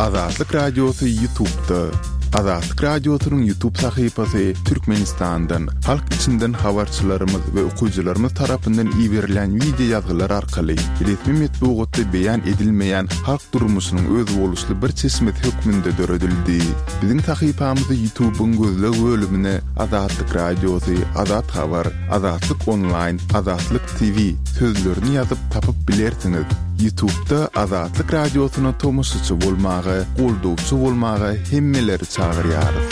Azatlyk Radiosy Ýutubda. Azatlyk Radiosynyň Ýutub sahypasy Türkmenistandan, halk içinden habarçylarymyz we okyjylarymyz tarapyndan iberilen wideo ýazgylar arkaly resmi metbugatda beýan edilmeýän halk durmuşynyň özboluşly bir çeşmesi hökmünde döredildi. Biziň sahypamyzy Ýutubyň gözleg bölümine Azatlyk Radiosy, Azat Habar, Azatlyk Onlaýn, Azatlyk TV sözlerini ýazyp tapyp bilersiňiz. Ýutubda Azatlyk Radiosyna tomaşaçy bolmaga, goldawçy bolmaga hemmeleri çagyrýarys.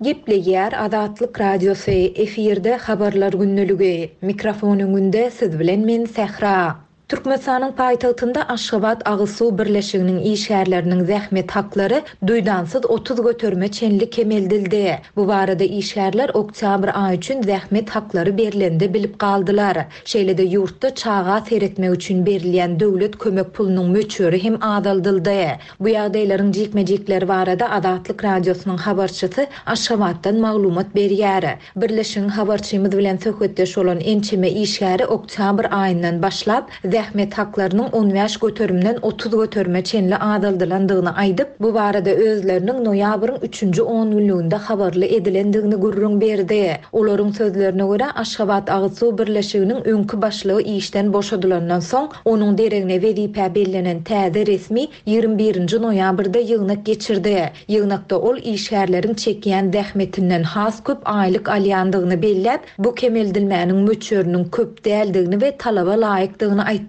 Gepleýär Azatlyk Radiosy, efirde Habarlar gündeligi. Mikrofon öňünde siz bilen men Sähra. Türkmenistanyň paýtagtynda Aşgabat agyz suw birleşiginiň işgärleriniň zähmet haklary duýdansyz 30 göterime çenli kemeldildi. Bu barada işgärler oktýabr aýy üçin zähmet haklary berlende bilip galdylar. Şeýle-de ýurtda çaga seretmek üçin berilýän döwlet kömek pulunyň möçberi hem azaldyldy. Bu ýagdaýlaryň jikme-jikleri barada Azatlyk Radiosynyň habarçysy Aşgabatdan maglumat berýär. Birleşigiň habarçymyz bilen söhbetdeş bolan ençeme işgäri oktýabr aýyndan başlap, zähmet haklarynyň 15 göterimden 30 göterime çenli azaldylandygyny aýdyp, bu barada özleriniň noýabryň üçünji ongünlüginde habarly edilendigini gürrüň berdi. Olaryň sözlerine görä, Aşgabat agyz suw birleşiginiň öňki başlygy işden boşadylandan soň, onuň deregine wezipä bellenen täze resmi 21 nji noýabrda ýygnak geçirdi. Ýygnakda ol işgärleriň çekýän zähmetinden has köp aýlyk alýandygyny belläp, bu kemeldilmäniň möçberiniň köp däldigini we talaba laýykdygyny aýtdy.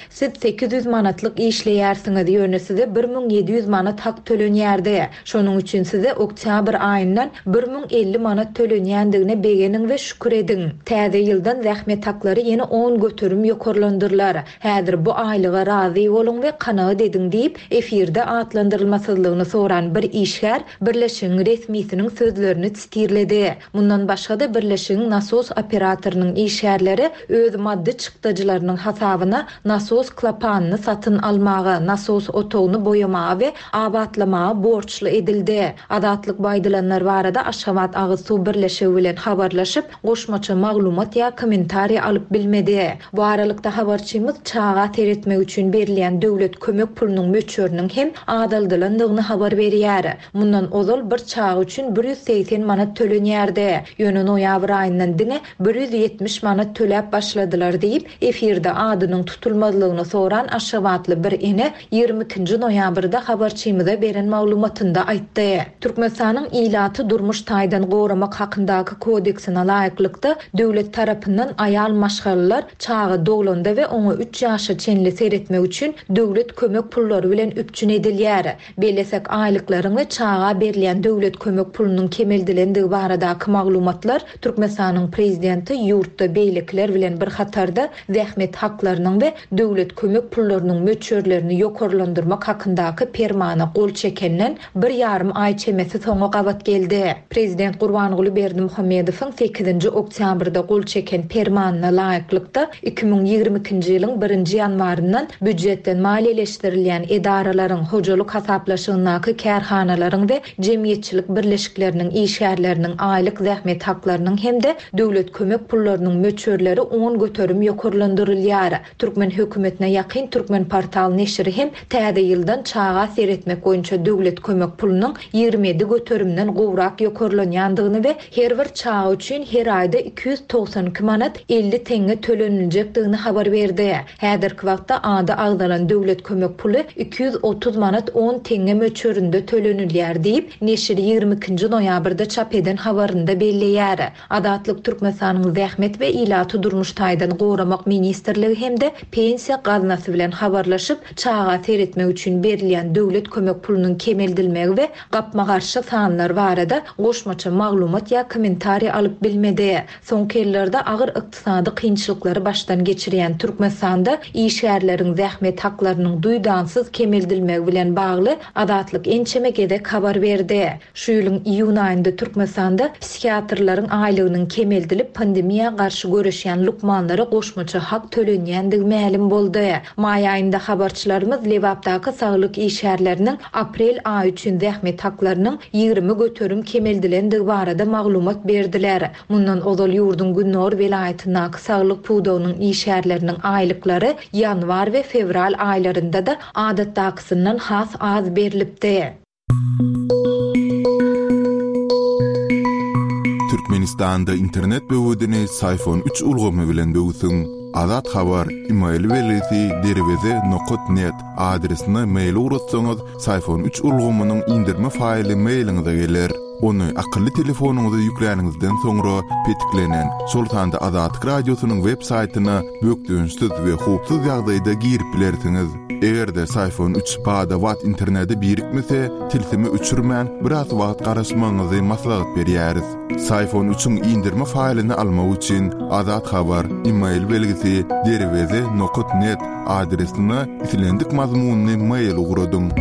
Siz 800 manatlyk işleýärsiňiz, ýöne size 1700 manat hak tölenýärdi. Şonuň üçin size oktýabr aýyndan 1050 manat tölenýändigine begeniň we şükür ediň. Täze ýyldan zähmet haklary ýene 10% ýokarlandyrylar. Häzir bu aýlyga razy boluň we kanagat ediň diýip, efirde atlandyrylmasyzlygyny soran bir işgär birleşigiň resmisiniň sözlerini sitirledi. Mundan başga-da, birleşigiň nasos operatorynyň işgärleri öz maddy çykdajylarynyň hasabyna nasos klapanyny satyn almaga, nasos otagyny boýamaga we abatlamaga borçly edildi. Azatlyk bu aýdylanlar barada Aşgabat agyz suw birleşigi bilen habarlaşyp, goşmaça maglumat ýa kommentariý alyp bilmedi. Bu aralykda, habarçymyz çaga seretmek üçin berilýän döwlet kömek pulunyň möçberiniň hem azaldylandygyny habar berýär. Mundan ozal bir çaga üçin 180 manat tölenýärdi. Ýöne noýabr aýyndan diňe 170 manat töläp başladylar diýip, efirde adynyň tutulmazlygyny soran aşgabatly bir ene 22-nji noýabrda habarçymyza beren maglumatynda aýtdy. Türkmenistanyň Ilaty durmuş taýdan goramak hakyndaky kodeksine laýyklykda, döwlet tarapyndan aýal maşgalalar çaga doglanda we oňa üç ýaşa çenli seretmek üçin döwlet kömek pullary bilen üpjün edilýär. Bellesek, aýlyklaryň we çaga berilýän döwlet kömek pulunyň kemeldilendigi baradaky maglumatlar Türkmenistanyň Prezidenti ýurtda beýlekiler bilen bir hatarda zähmet haklarynyň we döwlet kömek pullarynyň möçberlerini ýokarlandyrmak hakyndaky Permana gol çekenden bir ýarym aý çemesi soňa gabat geldi. Prezident Gurbanguly Berdimuhamedowyň sekizinji oktýabrda gol çeken Permanyna laýyklykda, 2022-nji ýylyň birinji ýanwaryndan býujetden maliýeleşdirilýän edaralaryň, hojalyk hasaplaşygyndaky kärhanalaryň we jemgyýetçilik birleşikleriniň işgärleriniň aýlyk zähmet haklarynyň hem-de döwlet kömek pullarynyň möçberleri 10% ýokarlandyrylýar. Türkmen hökümetine ýakyn Türkmenportal neşiri hem täze ýyldan çaga seretmek boýunça döwlet kömek pulunyň 27 göterimden gowrak ýokarlanýandygyny we her bir çaga üçin her aýda 292 manat 50 teňňe töleniljekdigini habar berdi. Häzirki wagtda ady agzalan döwlet kömek puly 230 manat 10 teňňe möçberinde tölenilýär diýip, neşir 22-nji noýabrda çap eden habarynda belleýär. Azatlyk Türkmenistanyň Zähmet we ilaty durmuş taýdan goramak ministrligi hem-de Pensiýa gaznasy bilen habarlaşyp, çaga seretmek üçin berilýän döwlet kömek pulunyň kemeldilmegi we gapma-garşy sanlar barada goşmaça maglumat ýa kommentariý alyp bilmedi. Soňky ýyllarda agyr ykdysady kynçylyklary başdan geçirýän Türkmenistanda işgärleriň zähmet haklarynyň duýdansyz kemeldilmegi bilen bagly Azatlyk ençeme gezek habar berdi. Şu ýylyň iýun aýynda Türkmenistanda psihiatrlaryň aýlygynyň kemeldilip, pandemiýa garşy göreşýän lukmanlara goşmaça hak tölenýändigi. mälim boldy. Maý aýynda habarçylarymyz Lebapdaky saglyk işgärleriniň aprel aýy üçin zähmet haklarynyň 20% kemeldilendigi barada maglumat berdiler. Mundan ozal ýurduň gündogar welaýatyndaky saglyk pudagynyň işgärleriniň aýlyklary ýanwar we fewral aýlarynda-da adatdakysyndan has az berlipdi. Türkmenistanda internet böwedini Syfon üç ulgamy bilen böwsüň. Azat Habar, email belgisi derweze nokat net adresine mail ugratsaňyz, Syfon üç ulgamynyň indirme faýly mailiňize geler. Ony akylly telefonyňyza ýükläniňizden soňra petiklenen, şol sanda Azatlyk Radiosynyň web saýtyna bökdençsiz we howpsuz ýagdaýda girip bilersiňiz. Eger-de Syfon üç bada-bat internete birikmese, tilsimi öçürmän, biraz wagt garaşmagyňyzy maslahat berýäris. Syfon üçiň indirme faýlyny almak üçin Azat Habar, email belgisi derweze nokat net adresine islendik mazmunly mail ugradyň.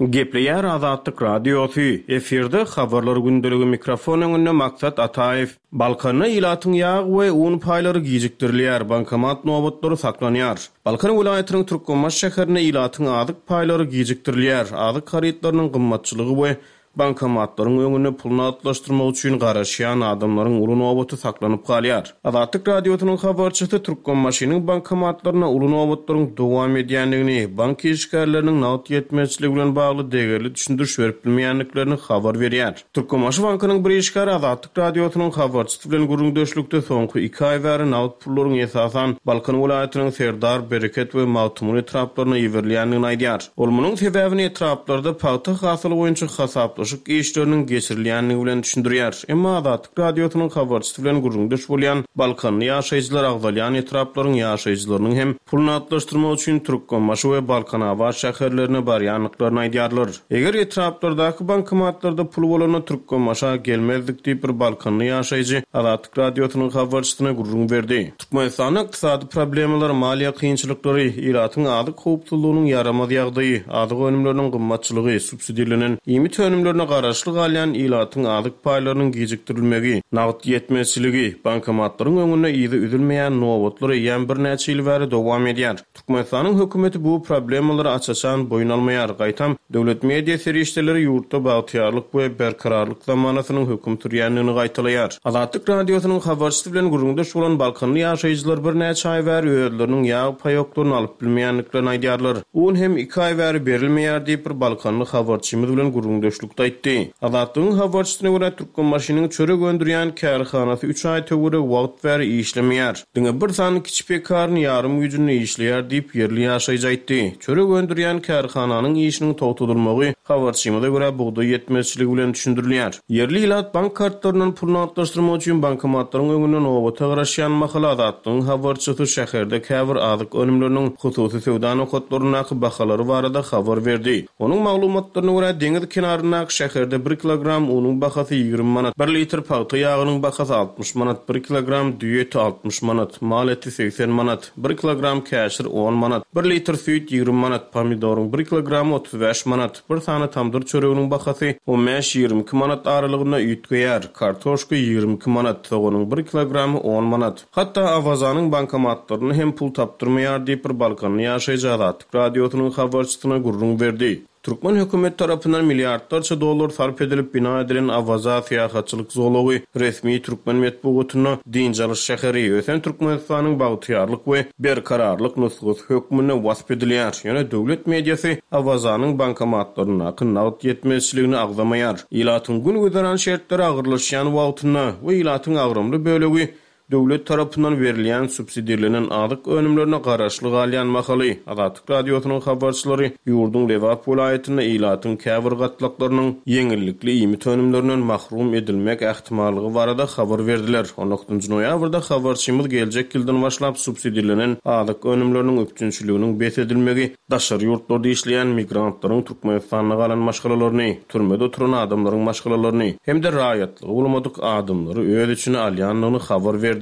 Gepleýär Azatlyk Radiosy, efirde Habarlar gündeligi mikrofon öňünde Maksat Ataýew. Balkanda ilatyň ýag we un paýlary gijikdirilýär, bankomat nobatlary saklanýar. Balkan welaýatynyň Türkmenbaşy şäherinde ilatyň azyk paýlary gijikdirilýär, azyk harytlarynyň gymmatçylygy we bankomatlaryň öňünde pul nagtlaşdyrmak üçin garaşýan adamlaryň uly nobaty saklanyp galýar. Azatlyk Radiosynyň habarçysy Türkmenbaşynyň bankomatlarynda uly nobatlaryň dowam edýändigini, bank işgärleriniň nagt ýetmezçiligi bilen bagly degerli düşündiriş berip bilmeýändiklerini habar berýär. Türkmenbaşy bankynyň bir işgäri Azatlyk Radiosynyň habarçysy bilen gürrüňdeşlikde soňky iki aý bäri nagt pullaryň esasan Balkan welaýatynyň Serdar, Bereket we Magtymguly etraplaryna iberilýändigini aýdýar. Ol munuň sebäbini etraplarda pagta hasyly boýunça hasaplaşyk işleriniň geçirilýändigi bilen düşündirýär. Emma Azatlyk Radiosynyň habarçysy bilen gürrüňdeş bolýan balkanly ýaşaýjylar agzalýan etraplaryň ýaşaýjylarynyň hem pul nagtlaşdyrmak üçin Türkmenbaşy we Balkanabat şäherlerine barýandyklaryny aýdýarlar. Eger etraplardaky bankomatlarda pul bolanda Türkmenbaşa gelmezdik diýip bir balkanly ýaşaýjy Azatlyk Radiosynyň habarçysyna gürrüň berdi. Türkmenistanda ykdysady problemalar, maliýe kynçylyklary, ilatyň azyk howpsuzlygynyň ýaramaz ýagdaýy, azyk önümleriniň gymmatçylygy, subsidirlenen iýmit önümlerine garaşly galýan ilatyň azyk paýlarynyň gijikdirilmegi, nagt ýetmezçiligi, bankomatlaryň öňünde yzy üzülmeýän nobatlar eýýäm birnäçe ýyl bäri dowam edýär. Türkmenistanyň hökümeti bu problemalary aç-açan boýun almaýar, gaýtam, döwlet media serişdeleri ýurtda bagtyýarlyk we berkararlyk zamanasynyň höküm sürýändigini gaýtalaýar. Azatlyk Radiosynyň habarçysy bilen gürrüňdeş bolan balkanly ýaşaýjylar birnäçe aý bäri özleriniň ýag paýoklaryny alyp bilmeýändiklerini aýdýarlar. Un hem iki aý bäri berilmeýär diýip, bir balkanly habarçymyz bilen gürrüňdeşlikde aýtdy. Azatlygyň habarçysyna görä, Türkmenbaşynyň çörek öndürýän kärhanasy üç aý töweregi wagt bäri işlemeýär. Diňe bir sany kiçi pekarny ýarym güýjünde işleýär diýip, ýerli ýaşaýjy aýtdy. Çörek öndürýän kärhananyň işiniň togtadylmagy, habarçymyza görä, bugdaý ýetmezçiligi bilen düşündirilýär. Ýerli ilat bank kartlaryndan pul nagtlaşdyrmak üçin bankomatlaryň öňünde nobata garaşýan mahaly Azatlygyň habarçysy şäherde käbir azyk önümleriniň hususy söwda nokatlaryndaky bahalary barada habar berdi. Onuň maglumatlaryna görä, deňiz kenaryndaky şäherde bir kilogram unuň bahasy 20 manat, bir litr pagta ýagynyň bahasy 60 manat, bir kilogram düýe eti 60 manat, mal eti 80 manat, bir kilogram käşir on manat, bir litr süýt 20 manat, pomidoryň bir kilogramy 35 manat, bir sany tamdyr çöreginiň bahasy on bäş-ýigrimi iki manat aralygynda üýtgeýär, kartoşka 22 manat, soganyň bir kilogramy on manat. Hatda Awazanyň bankomatlarynda hem pul tapdyrmaýar diýip, bir balkanly ýaşaýjy Azatlyk Radiosynyň habarçysyna gürrüň berdi. Türkmen hökümeti tarapyndan milliardlarça dollar sarp edilip bina edilen Awaza syýahatçylyk zolagy resmi türkmen metbugatynda dynç alyş şäheri, ösen Türkmenistanyň bagtyýarlyk we berkararlyk nusgasy hökmünde wasp edilýär. Ýöne döwlet mediasy Awazanyň bankomatlaryndaky nagt ýetmezçiligini agzamaýar. Ilatyň gün-güzeran şertleri agyrlaşýan wagtynda we ilatyň agramly bölegi döwlet tarapyndan berilýän subsidirlenen azyk önümlerine garaşly galýan mahaly, Azatlyk Radiosynyň habarçylary ýurduň Lebap welaýatynda ilatyň käbir gatlaklarynyň ýeňillikli iýmit önümlerinden mahrum edilmek ähtimallygy barada habar berdiler. On dokuzynjy noýabrda habarçymyz geljek ýyldan başlap subsidirlenen azyk önümleriniň üpjünçiliginiň bes edilmegi Daşary ýurtlarda işleýän migrantlaryň Türkmenistanda galan maşgalalaryny, türmede oturan adamlaryň maşgalalaryny hem-de raýatlygy bolmadyk adamlary öz içine alýandygyny habar berdi.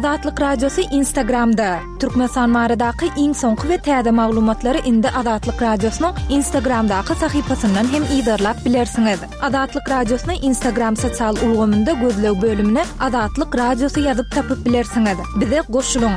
Azatlyk Radiosy Instagramda! Türkmenistan baradaky iň soňky we täze maglumatlary indi Azatlyk Radiosynyň Instagramdaky sahypasyndan hem yzarlap bilersiňiz. Azatlyk Radiosyny Instagram sosial ulgamynda gözleg bölümine Azatlyk Radiosy ýazyp tapyp bilersiňiz. Bize goşulyň!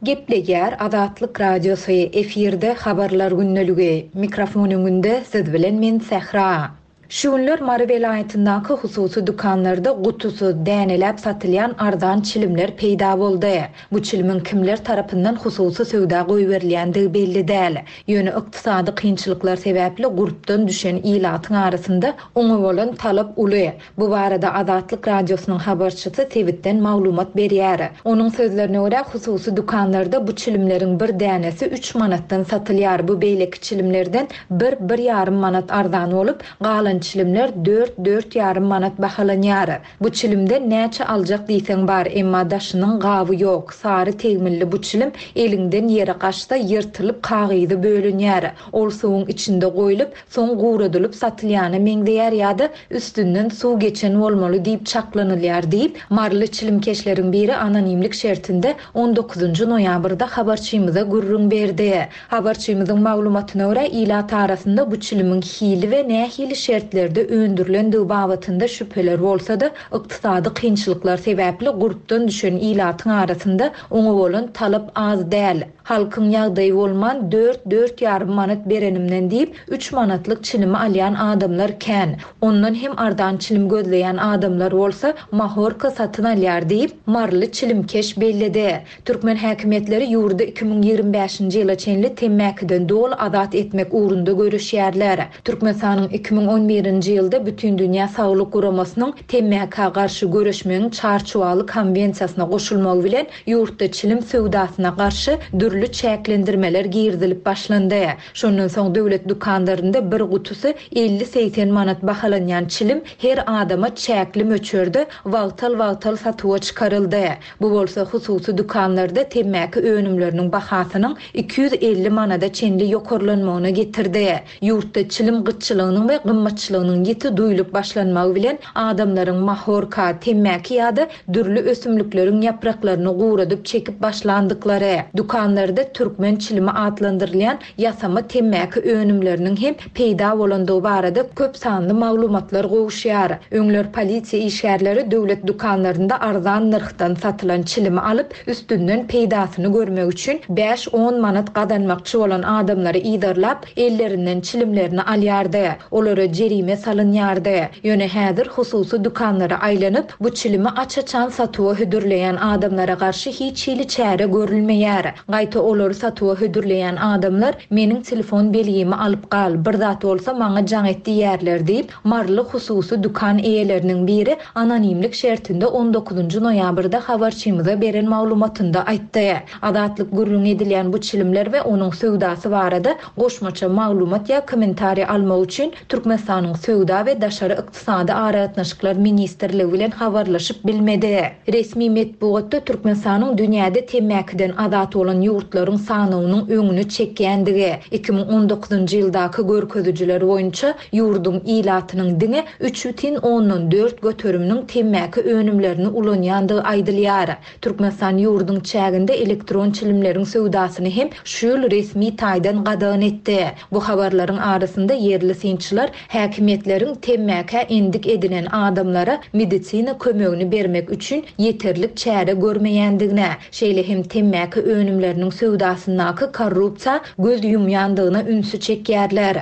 Gepleýär Azatlyk Radiosy, efirde Habarlar gündeligi. Mikrofon öňünde siz bilen men Sähra. Şu günler Mary welaýatyndaky hususy dükanlarda gutusyz, däneläp satylýan arzan çilimler peýda boldy. Bu çilimiň kimler tarapyndan hususy söwda goýberilýändigi belli däl. Ýöne ykdysady kynçylyklar sebäpli gurpdan düşen ilatyň arasynda oňa bolan talap uly. Bu barada Azatlyk Radiosynyň habarçysy sebitden maglumat berýär. Onuň sözlerine görä, hususy dükanlarda bu çilimleriň bir dänesi üç manatdan satylýar, bu beýleki çilimlerden bir, bir ýarym manat arzan bolup, galan çilimler dört, dört ýarym manat bahalanýar. Bu çilimden näçe aljak diýseň bar, emma daşynyň gaby ýok, sary tegmilli bu çilim eliňden ýere gaçsa ýyrtylyp kagyzy bölünýär. Ol suwuň içinde goýlup, soň guradylyp satylýana meňzeýär ýa-da üstünden suw geçen bolmaly diýip çaklanylýar diýip, maryly çilimkeşleriň biri anonimlik şertinde on dokuzynjy noýabrda habarçymyza gürrüň berdi. Habarçymyzyň maglumatyna görä, ilat arasynda bu çilimiň hili we nähili şertlerde öndürilendigi babatynda şübheler bolsa-da, ykdysady kynçylyklar sebäpli gurpdan düşen ilatyň arasynda oňa bolan talap az däl. Halkyň ýagdaýy bolman dört, dört ýarym manat berenimden diýip, üç manatlyk çilimi alýan adamlar kän. Ondan hem arzan çilim gözleýän adamlar bolsa, mahorka satyn alýar diýip, maryly çilimkeş belledi. Türkmen häkimiýetleri ýurdy 2025-nji ýyla çenli temmäkiden doly azat etmek ugrunda göreşýärler. Türkmenistanyň 2011-nji ýylda Bütindünýä Saglyk Guramasynyň temmäkä garşy göreşmegiň Çarçuwaly konwensiýasyna goşulmagy bilen, ýurtda çilim söwdasyna garşy dürli çäklendirmeler girizilip başlandy. Şondan soň döwlet dükanlarynda bir gutusy 50-80 manat bahalanýan çilim her adama çäkli möçberde wagtal-wagtal satuwa çykaryldy. Bu bolsa hususy dükanlarda temmäki önümleriniň bahasynyň 250 manada çenli ýokarlanmagyna getirdi. Ýurtda çilim gytçylygynyň we gymmatçylygynyň ýiti duýlup başlanmagy bilen adamlaryň mahorka, temmäki ýa-da dürli ösümlikleriň ýapraklaryny guradyp çekip başlandyklary, dükanlarda türkmen çilimi atlandyrylýan ýasama temmäki önümleriniň hem peýda bolandygy barada köp sanly maglumatlar gowuşýar. Öňler polisiýa işgärleri döwlet dükanlarynda arzan nyrhdan satylan çilimi alyp, üstünden peýdasyny görmek üçin bäş-on manat gazanmakçy bolan adamlary yzarlap, ellerinden çilimlerini alýardy. Olara jerime salynýardy. Ýöne häzir hususy dükanlara aýlanyp, bu çilimi aç-açan satuwa hödürleýän adamlara garşy hiç hili çäre görülmeýär. Gaýta olary satuwa hödürleýän adamlar meniň telefon belgimi alyp gal, bir zat bolsa maňa jaň et diýýärler diýip, maryly hususy dükan eýeleriniň biri anonimlik şertinde on dokuzynjy noýabrda habarçymyza beren maglumatynda aýtdy. Azatlyk gürrüňi edilýän bu çilimler we onuň söwdasy barada goşmaça maglumat ýa kommentariý almak üçin Türkmenistanyň Söwda we daşary ykdysady aragatnaşyklar ministrligi bilen habarlaşyp bilmedi. Resmi metbugatda Türkmenistanyň dünýäde temmäkiden azat bolan ýurtlaryň sanawynyň öňüni çekýändigi, 2019-njy ýyldaky görkezijiler boýunça ýurduň ilatynyň diňe üç bütin ondan dört göteriminiň temmäki önümlerini ulanýandygy aýdylýar. Türkmenistan ýurduň çäginde elektron çilimleriň söwdasyny hem şu ýyl resmi taýdan gadagan etdi. Bu habarlaryň arasynda ýerli synçylar häkimiýetleriň temmäkä endik edinen adamlara medisina kömegini bermek üçin ýeterlik çäre görmeýändigine, şeýle hem temmäki önümleriniň söwdasyndaky korrupsiýa göz ýumýandygyna ünsi çekýärler.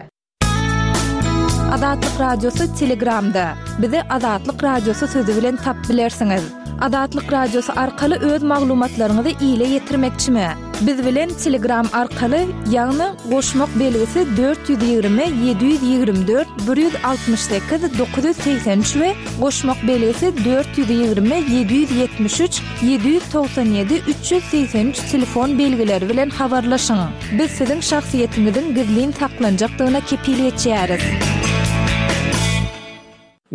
Azatlyk Radiosy Telegramda. Bizi Azatlyk Radiosy sözi bilen tapyp bilersiňiz. Azatlyk Radiosy arkaly öz maglumatlaryňyzy ile ýetirmekçimi? Biz bilen Telegram arkaly, ýagny goşmak belgisi 420 724 168 983 we goşmak belgisi 420 773 797 383 telefon belgileri bilen habarlaşyň. Biz siziň şahsyýetiňiziň gizlin saklanjakdygyna kepil geçýäris.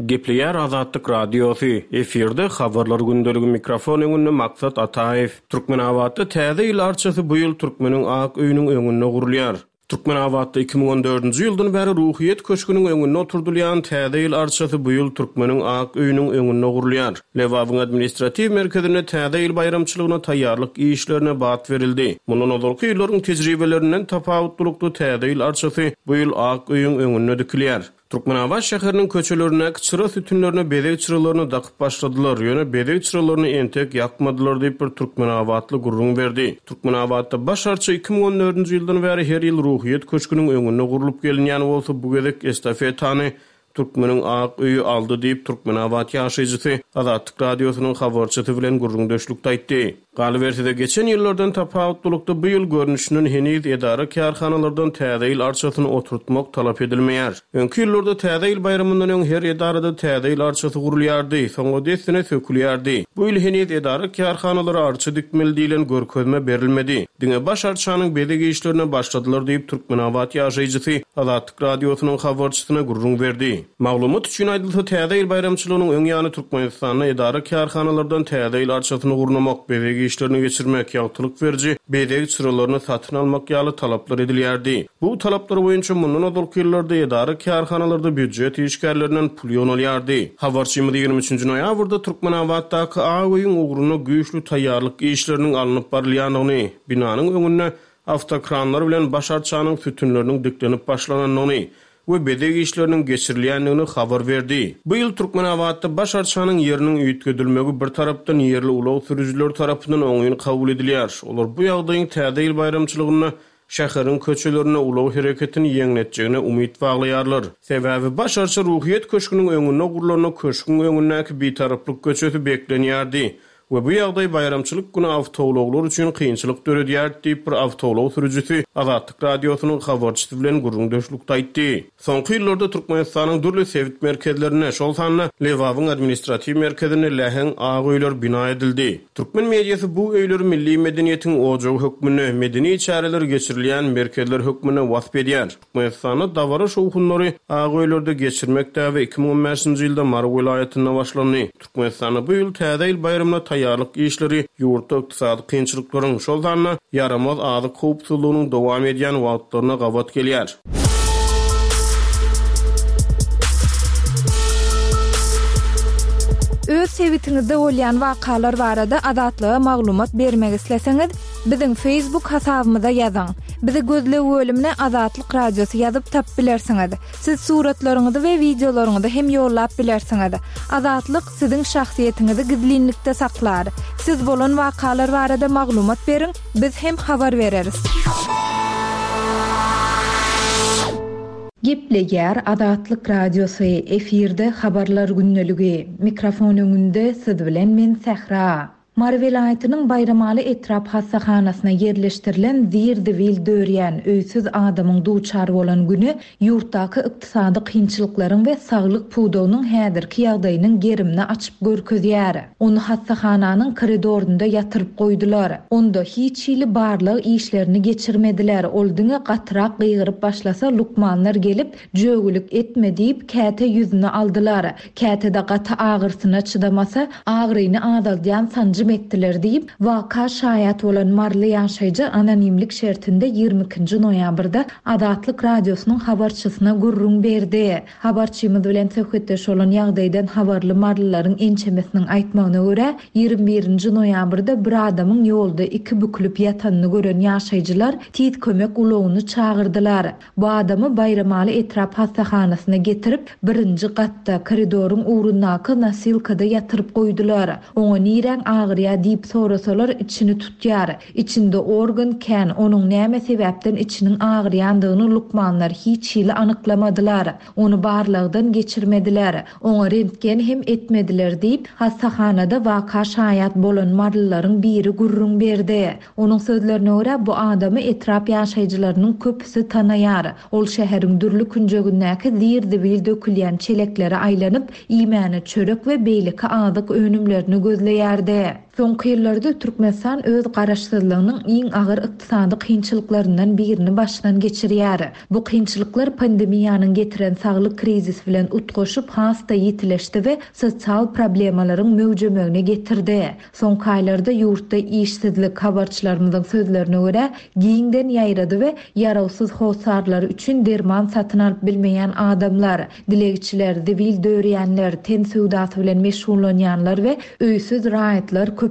Gepleýär Azatlyk Radiosy, efirde Habarlar gündeligi mikrofon öňünde Maksat Ataýew. Türkmenabatda Täze ýyl arçasy bu ýyl türkmeniň ak öýüniň öňünde gurulýar. Türkmenabatda 2014-nji ýyldan bäri Ruhyýet köşgüniň öňünde oturdylýan Täze ýyl arçasy bu ýyl Türkmeniň ak öýüniň öňünde gurulýar. Lebabyň administratiw merkezinde Täze ýyl baýramçylygyna taýýarlyk işlerine bat berildi. Mundan ozalky ýyllaryň tejribelerinden tapawutlylykda Täze ýyl arçasy bu ýyl ak öýüň öňünde dikilýär. Türkmenabat şäheriniň köçelerindäki çyra sütünlerine bezeg çyralaryny dakyp başladylar, ýöne bezeg çyralaryny entek ýakmadylar diýip, bir türkmenabatly gürrüň berdi. Türkmenabatda baş arça 2014-nji ýyldan bäri her ýyl Ruhyýet köşgüniň öňünde gurlup gelinýän bolsa, bu gezek estafetany Türkmeniň ak öýi aldy diýip, türkmenabat ýaşaýjysy Azatlyk Radiosynyň habarçysy bilen gürrüňdeşlikde aýtdy. Galyberse-de, geçen ýyllardan tapawutlylykda bu ýyl görnüşinden heniz edara-kärhanalardan Täze ýyl arçasyny oturtmak talap edilmeýär. Öňki ýyllarda Täze ýyl baýramyndan öň her edarada Täze ýyl arçasy gurulýardy, soňra dessine sökülýärdi. Bu ýyl heniz edara-kärhanalara arça dikmeli diýlen görkezme berilmedi. Diňe baş arçanyň bezeg işlerine başladylar diýip, türkmenabat ýaşaýjysy Azatlyk Radiosynyň habarçysyna gürrüň berdi. Maglumat üçin aýdylsa, Täze ýyl baýramçylygynyň öň ýany Türkmenistanda edara-kärhanalardan Täze ýyl arçasyny gurnamak, bezeg işlerini geçirmek, ýagtylyk beriji bezeg çyralaryny satyn almak ýaly talaplar edilýärdi. Bu talaplar boýunça mundan ozalky ýyllarda edara-kärhanalarda býujet işgärlerinden pul ýygnalýardy. Habarçymyz 23 nji noýabrda Türkmenabatdaky Ak öýüň ugrunda güýçli taýýarlyk işleriniň alnyp barylýandygyny, binanyň öňünde awtokranlar bilen baş arçanyň sütünleriniň diklenip başlanandygyny we bezeg işleriniň geçirilýändigini habar berdi. Bu ýyl Türkmenabatda baş arçanyň ýeriniň üýtgedilmegi bir tarapdan ýerli ulag sürüjileri tarapyndan oňyn kabul edilýär. Olar bu ýagdaýyň Täze ýyl baýramçylygynda şäheriň köçelerinde ulag hereketini ýeňletjegine umyt baglaýarlar. Sebäbi baş arça Ruhyýet köşgüniň öňünde gurlanda köşgüň öňündäki Bitaraplyk köçesi beklenýärdi we bu ýagdaý baýramçylyk güni awtoulaglar üçin kynçylyk döredýärdi diýip, bir awtoulag sürüjisi Azatlyk Radiosynyň habarçysy bilen gürrüňdeşlikde aýtdy. Soňky ýyllarda Türkmenistanyň dürli sebit merkezlerinde, şol sanda Lebabyň administratiw merkezinde läheň ak öýler bina edildi. Türkmen mediasy bu öýleri milli medeniýetiň ojagy hökmünde, medeni çäreler geçirilýän merkezler hökmünde wasp edýär. Türkmenistanda dabara-şowhunlary ak öýlerde geçirmek däbi 2015-nji ýylda Mary welaýatynda başlandy. Türkmenistanda bu ýyl Täze ýyl baýramyna taýýarlyk işleri ýurtda ykdysady kynçylyklaryň, şol sanda ýaramaz azyk howpsuzlygynyň dowam edýän wagtlaryna gabat gelýär. Öz sebitiňizde bolýan wakalar barada Azatlyga maglumat bermek isleseňiz, biziň Facebook hasabymyza ýazyň. Bizi gözleg bölümine Azatlyk Radiosy ýazyp tapyp bilersiňiz. Siz suratlaryňyzy we wideolaryňyzy hem ýollap bilersiňiz. Azatlyk siziň şahsyýetiňizi gizlinlikde saklar. Siz bolan wakalar barada maglumat beriň, biz hem habar bereris. Gepleýär Azatlyk Radiosy, efirde Habarlar gündeligi. Mikrofon öňünde siz bilen men Sähra. Mary welaýatynyň Baýramaly etrap hassahanasyna ýerleşdirilen zir-zibil dörýän, öýsüz adamyň duçar bolan güni ýurtdaky ykdysady kynçylyklaryň we saglyk pudagynyň häzirki ýagdaýynyň gerimini açyp görkezýär. Ony hassahananyň koridorynda ýatyryp goýdular. Onda hiç hili barlag işlerini geçirmediler, ol diňe gatyrak gygyryp başlasa lukmanlar gelip, Jögülik etme diýip, käte ýüzüne aldylar. Käte-de gaty agyrsyna çydamasa, agyryny azaldýan sanjym etdiler diýip, waka şaýat bolan maryly ýaşaýjy anonimlik şertinde 22 nji noýabrda Azatlyk Radiosynyň habarçysyna gürrüň berdi. Habarçymyz bilen söhbetdeş bolan ýagdaýdan habarly marylylaryň ençemesiniň aýtmagyna görä, 21 nji noýabrda bir adamyň ýolda iki bükülip ýatanyny gören ýaşaýjylar tiz kömek ulagyny çagyrdylar. Bu adamy Baýramaly etrap hassahanasyna getirip, birinji gatda, koridoryň ugrundaky nosilkada ýatyryp goýdular. Oňa niräň agyrýa diýip sorasalar, içini tutýar. Içinde organ kän, onuň näme sebäpden içiniň agyrýandygyny lukmanlar hiç hili anyklamadylar. Ony barlagdan geçirmediler. Oňa rentgen hem etmediler diýip, hassahanada waka şaýat bolan marylylaryň biri gürrüň berdi. Onuň sözlerine görä, bu adamy etrap ýaşaýjylarynyň köpüsi tanaýar. Ol şäheriň dürli künjegindäki zir-zibil dökülýän çeleklere aýlanyp, iýmäne çörek we beýleki azyk önümlerini gözleýärdi. Soňky ýyllarda Türkmenistan öz garaşsyzlygynyň iň agyr ykdysady kynçylyklaryndan birini başdan geçirýär. Bu kynçylyklar pandemiýanyň getiren saglyk krizisi bilen utgaşyp has-da ýitileşdi we sosial problemalaryň möwjemegine getirdi. Soňky aýlarda ýurtda işsizlik, habarçylarymyzyň sözlerine görä, giňden ýaýrady we ýarawsyz hossarlary üçin derman satyn alyp bilmeýän adamlar, dilegçiler, zibil dörýänler, ten söwdasy bilen meşgullanýanlar we öýsüz raýatlar köpeldi.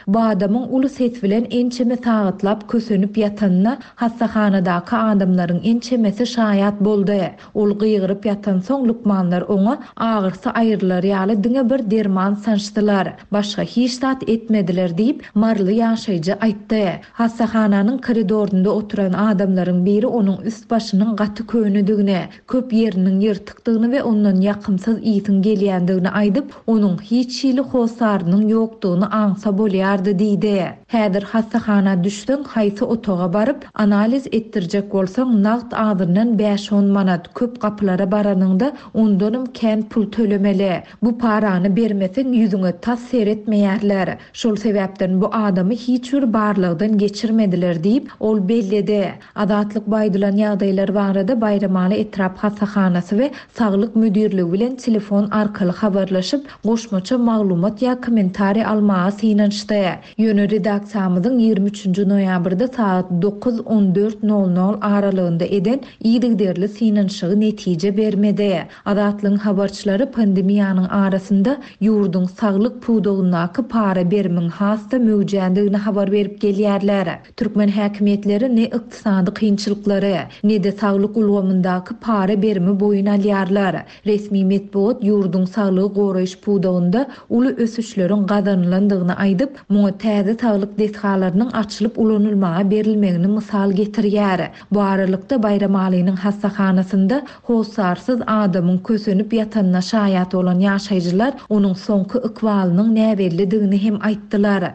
Bu adamyň uly ses bilen ençeme sagatlap kösenip ýatanyna hassahanadaky adamlaryň ençemesi şaýat boldy. Ol gygyryp ýatansoň, lukmanlar oňa agyrysy aýrylar ýaly diňe bir derman sançdylar. Başga hiç zat etmediler diýip, maryly ýaşaýjy aýtdy. Hassahananyň koridorynda oturan adamlaryň biri onuň üst-başynyň gaty könedigini, köp ýeriniň ýyrtykdygyny we ondan ýakymsyz ysyň gelýändigini aýdyp, onuň hiç hili hossarynyň ýokdugyny aňsa bolýardy diýdi. Häzir hassahana düşseň, haýsy otaga baryp, analiz etdirjek bolsaň, nagt azyndan bäş-on manat, köp gapylara baranyňda ondanam kän pul tölemeli. Bu parany bermeseň ýüzüňe tas seretmeýärler. Şol sebäpden bu adamy hiç bir barlagdan geçirmediler diýip, ol belledi. Azatlyk bu aýdylan ýagdaýlar barada Baýramaly etrap hassahanasy we Saglyk müdirligi bilen telefon arkaly habarlaşyp, goşmaça maglumat ýa kommentariý almaga synanyşdy. Ýöne redaksiýamyzyň 23 nji noýabrda sagat dokuz, on dört nol nol aralygynda eden yzygiderli synanyşygy netije bermedi. Azatlygyň habarçylary pandemiýanyň arasynda ýurduň saglyk pudagyndaky para-berimiň has-da möwjändigini habar berip gelýärler. Türkmen häkimiýetleri ne ykdysady kynçylyklary, ne-de saglyk ulgamyndaky para-berimi boýun alýarlar. Resmi metbugat ýurduň saglygy goraýyş pudagynda uly ösüşleriň gazanylandygyny aýdyp, muňa täze saglyk desgalarynyň açylyp ulanylmaga berilmegini mysal getirýär. Bu aralykda, Baýramalynyň hassahanasynda hossarsyz adamyň kösenip ýatanyna şaýat bolan ýaşaýjylar onuň soňky ykbalynyň näbellidigini hem aýtdylar.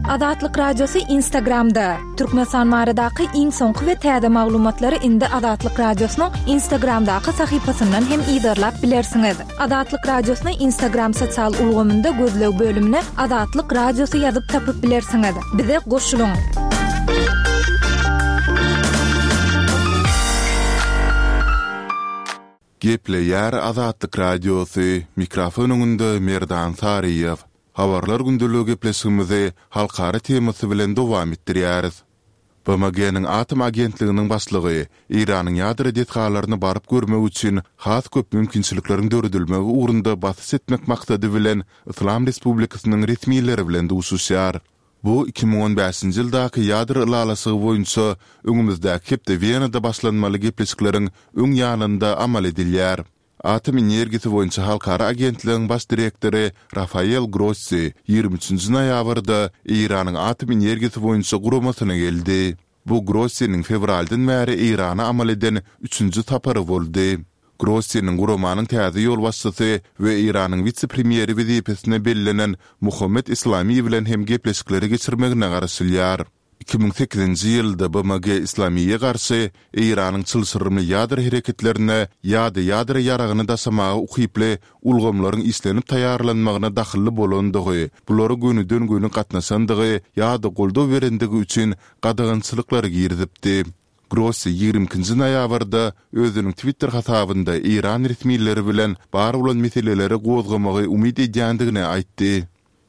Azatlyk Radiosy Instagramda, Türkmenistan baradaky iň soňky we täze maglumatlary indi Azatlyk Radiosynyň Instagramdaky sahypasyndan hem yzarlap bilersiňiz. Azatlyk Radiosyny Instagram sosial ulgamynda gözleg bölümine Azatlyk Radiosy ýazyp tapyp bilersiňiz. Bize goşulyň! Gepleýär Azatlyk Radiosy, mikrofon öňünde Merdan Saryýew. Habarlar gündeligi gepleşigimizi halkara temasy bilen dowam etdirýäris. BMG-niň Atom agentliginiň başlygy Eýranyň ýadro desgalaryny baryp görmek üçin has köp mümkinçilikleriň döredilmegi ugrunda basyş etmek maksady bilen Yslam Respublikasynyň resmileri bilen duşuşýar. Bu 2015-nji ýyldaky ýadro ylalaşygy boýunça öňümizdäki hepde Wenada başlanmaly gepleşikleriň öň ýanynda amal edilýär. Atom energiýasy boýunça halkara agentligiň baş direktory Rafael Grossi 23-nji noýabrda Eýranyň Atom energiýasy boýunça guramasyna geldi. Bu Grossiniň fewraldan bäri Eýrana amal eden üçünji sapary boldy. Grossiniň guramanyň täze ýolbaşçysy we Eýranyň wise-premýeri wezipesine bellenen Muhammet Islami bilen hem gepleşikleri geçirmegine garaşylýar. 2008-nji ýylda BMG Islamiýe garşy Eýranyň çylşyrymly ýadro hereketlerine ýa-da ýadro ýaragyny daşamaga ukyply ulgamlaryň işlenip taýýarlanmagyna dahylly bolandygy, bulara gönüden-göni gatnaşandygy ýa-da goldaw berendigi üçin gadagançylyklary girizipdi. Grossi 22-nji noýabrda özüniň Twitter hasabynda eýran resmileri bilen bar bolan meseleleri gozgamagy umyt edýändigini aýtdy.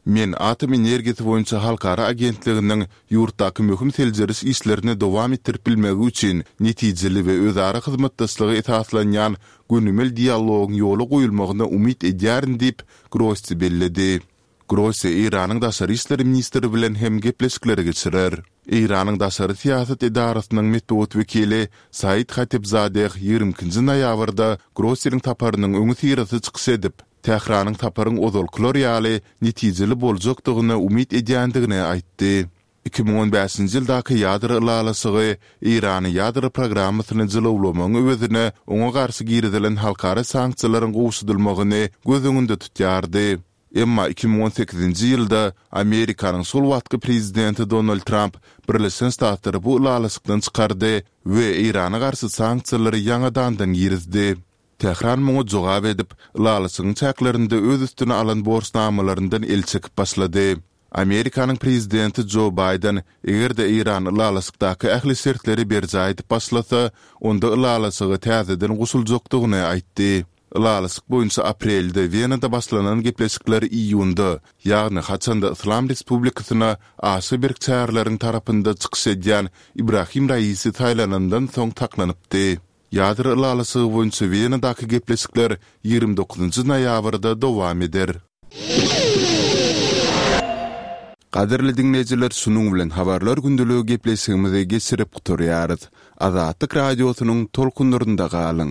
Men Atom energiýasy boýunça halkara agentliginiň ýurtdaky möhüm seljeriş işlerini dowam etdirip bilmegi üçin netijeli we özara hyzmatdaşlyga esaslanýan gönümel dialogyň ýola goýulmagyna umyt edýärin diýip, Grossi belledi. Grossi Eýranyň daşary işler ministri bilen hem gepleşikleri geçirer. Eýranyň daşary syýasat edarasynyň metbugat wekili Said Hatibzadeh 22-nji noýabrda Grossiniň saparynyň öňüsyrasy çykyş edip, Tähranyň saparyň ozalkylar ýaly netijeli boljakdygyna umyt edýändigini aýtdy. 2015-nji ýyldaky ýadro ylalaşygy Eýrany ýadro programmasyny jylawlamagyň öwezine oňa garşy girizilen halkara sanksiýalaryň gowşadylmagyny göz öňünde tutýardy. Emma 2018-nji ýylda Amerikanyň şol wagtky prezidenti Donald Tramp Birleşen Ştatlary bu ylalaşykdan çykardy we Eýrana garşy sanksiýalary ýaňadandan girizdi. Tähran muňa jogap edip, ylalaşygyň çäklerinde öz üstüne alan borçnamalaryndan el çekip başlady. Amerikanyň prezidenti Jo Baýden, eger-de Eýran ylalaşykdaky ähli şertleri berjaý edip başlasa, onda ylalaşyga täzeden goşuljakdygyny aýtdy. Ylalaşyk boýunça aprelde Wenada başlanan gepleşikler iýunda, ýagny haçanda Yslam Respublikasyna aşa berk çäreleriň tarapynda çykyş edýän Ibrahim Raisi saýlanandan soň saklanypdy. Ýadro ylalaşygy boýunça Wenadaky gepleşikler 29 noýabrda dowam eder. Gadyrly diňleýjiler şunuň bilen Habarlar gündeligi gepleşigimizi geçirip gutarýarys. Azatlyk Radiosynyň tolkunlarynda galyň!